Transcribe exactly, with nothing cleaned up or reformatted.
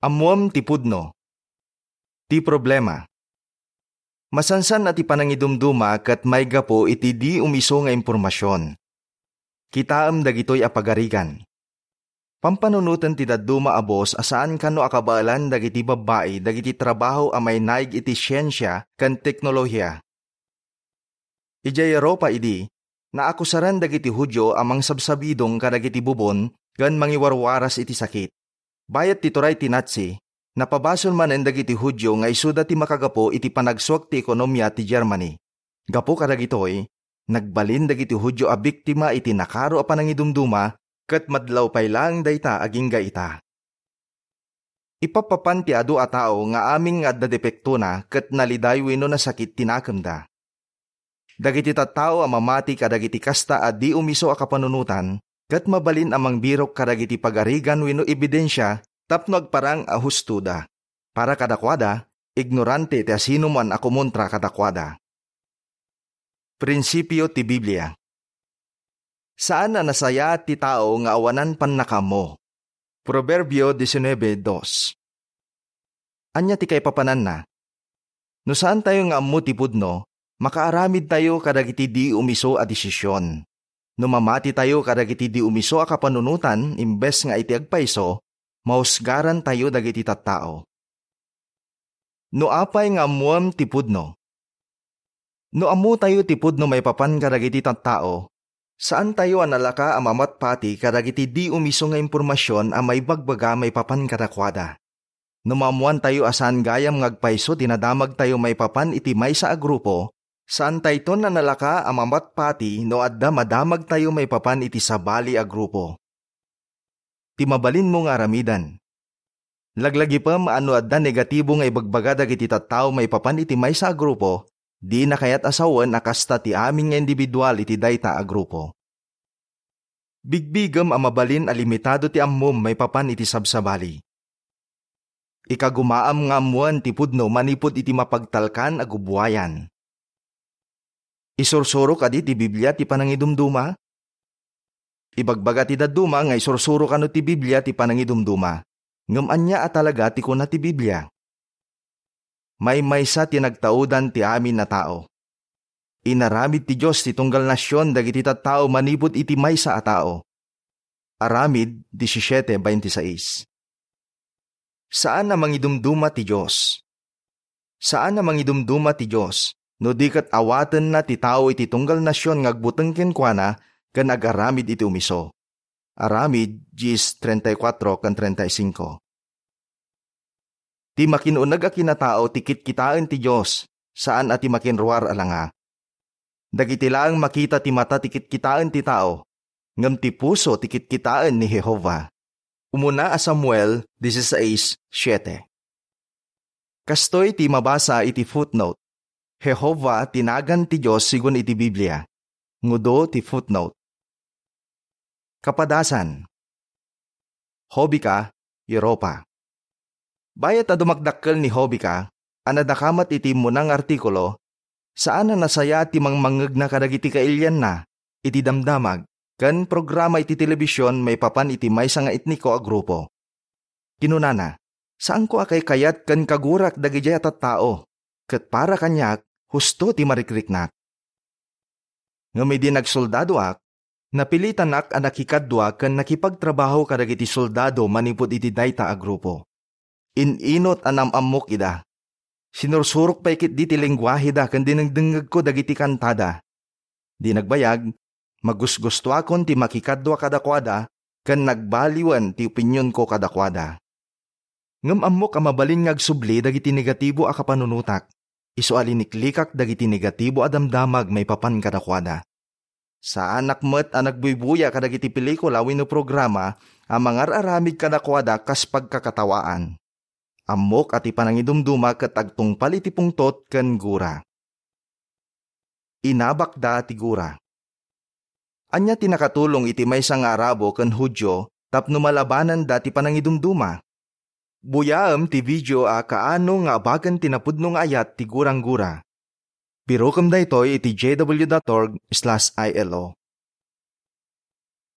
Ammoem ti pudno. Ti problema. Masansan a ti panangidumduma ket maigapu iti di umiso nga impormasion. Kitaem dagitoy a pagarigan. Pampanunoten ti dadduma a boss a saan kano a kabaelan dagiti babbai dagiti trabaho a mainaig iti siensia ken teknolohiya. Idiay Europa idi, naakusaran dagiti Judio a mangsabsabidong kadagiti bubon ken mangiwarwaras iti sakit. Bayat ti turay ti Nazi, napabasol manen dagiti Judio nga isuda ti makagapu iti panagsuak ti ekonomia ti Germany. Gapu kadagitoy, nagbalin dagiti Judio a biktima iti nakaro a panangidumduma ket madlaw pay laeng dayta agingga ita. Ipappapan ti adu a tao nga amin nga adda depektona ket naliday wenno nasakit ti nakemda. Dagiti tattao a mamati kadagiti kasta a di umiso a kapanunotan ket mabalin a mangbirok kadagiti pagarigan wenno ebidensia tapno agparang a hustoda. Para kadakuada, ignorante ti asinoman a kumontra kadakuada. Prinsipio ti Biblia. Saan a nasayaat ti tao nga awanan pannakaammo. Proverbio diecinuebe dos. Ania ti kaipapananna? No saantayo nga ammo ti pudno, makaaramidtayo kadagiti di umiso a desisyon. No mamatitayo kadagiti di umiso a kapanunotan imbes nga iti agpayso, mahusgarantayo dagiti tattao. No apay nga ammoem ti pudno? No ammotayo ti pudno maipapan kadagiti tattao, saantayo a nalaka a mamatpati kadagiti di umiso nga impormasion a maibagbaga maipapan kadakuada. No maammoantayo a saan gayam nga agpayso ti nadamagtayo maipapan iti maysa a grupo, saantayton a nalaka a mamatpati no adda madamagtayo maipapan iti sabali a grupo. Ti mabalinmo nga aramiden. Laglagipem a no adda negatibo nga ibagbaga dagiti tattao maipapan iti maysa a grupo, dina kayat a sawen a kasta ti amin nga individual iti dayta a grupo. Bigbigem a mabalin a limitado ti ammom maipapan iti sabsabali. Ikagumaam nga ammoen ti pudno manipud iti mapagtalkan a gubuayan. Isursuro kadi ti Biblia ti panangidumduma? Ibagbaga ti dadduma nga isursuro kano ti Biblia ti panangidumduma. Ngem ania a talaga ti kuna ti Biblia? Maymaysa ti nagtaudan ti amin a tao. Inaramid ti Dios ti tunggal nasion dagiti tattao manipud iti maysa a tao. Aramid disisiete veintiseis. Saan a mangidumduma ti Dios. Saan a mangidumduma ti Dios no di ket awatenna ti tao iti tunggal nasion nga agbuteng kenkuana ken agaramid iti umiso. Aramid diez treinta y cuatro ken treinta y cinco. Ti makin-uneg a kinatao ti kitkitaen ti Dios, saan a ti makinruar a langa. Dagiti laeng makita ti mata ti kitkitaen ti tao, ngem ti puso ti kitkitaen ni Jehovah. Umuna a Samuel dieciséis siete. Kastoy ti mabasa iti footnote, Jehovah ti nagan ti Dios sigun iti Biblia. Ngudo ti footnote. Kapadasan. Hobika, Europa. Bayat a dumakdakkel ni Hobika a nadakamat iti immuna nga artikulo, saan a nasayaat ti mangmangngegna kadagiti kailianna iti damdamag ken programa iti telebision maipapan iti maysa nga etniko a grupo. Kinunana, "Saanko a kaykayat ken kagurak dagidiay a tattao, ket para kaniak, husto ti marikriknak." Ngem idi nagsoldadoak, napilitanak a nakikadua ken nakipagtrabaho kadagiti soldado manipud iti dayta a grupo. In-inut a nam-ammok ida. Sinursurok pay ketdi ti lenguaheda ken dinengdengngegko dagiti kantada. Di nagbayag, magusgustuakon ti makikadua kadakuada ken nagbaliwen ti opinionko kadakuada. Ngem ammok a mabalin nga agsubli dagiti negatibo a kapanunotak, isu a liniklikak dagiti negatibo a damdamag maipapan kadakuada. Saanak met a nagbuybuya kadagiti pelikula wenno programa a mangar-aramid kadakuada kas pagkakatawaan. Ammok a ti panangidumduma ket agtungpal iti pungtot ken gura. Inabakda ti gura. Ania ti nakatulong iti maysa nga Arabo ken Judio tapno malabananda ti panangidumduma? Buyaem ti video a kaano nga abagan ti napudno nga ayat ti gurang-gura. Pirukem daytoy iti J W dot org slash I L O.